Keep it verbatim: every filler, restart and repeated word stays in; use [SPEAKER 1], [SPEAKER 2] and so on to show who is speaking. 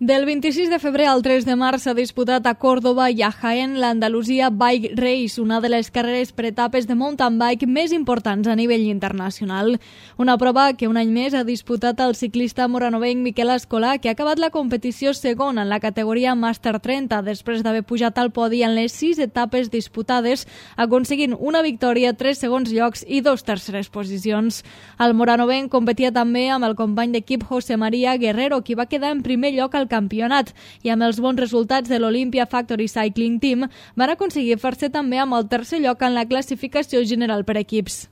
[SPEAKER 1] Del vint-i-sis de febrer al tres de març s'ha disputat a Córdoba i a Jaén l'Andalusia Bike Race, una de les carreres per etapes de mountain bike més importants a nivell internacional. Una prova que un any més ha disputat el ciclista moranovenc Miquel Escolà, que ha acabat la competició segon en la categoria Master trenta, després d'haver pujat al podi en les sis etapes disputades, aconseguint una victòria, tres segons llocs i dos terceres posicions. El moranovenc competia també amb el company d'equip José María Guerrero, qui va quedar en primer lloc al campionat, i amb els bons resultats de l'Olympia Factory Cycling Team van aconseguir fer-se també amb el tercer lloc en la classificació general per equips.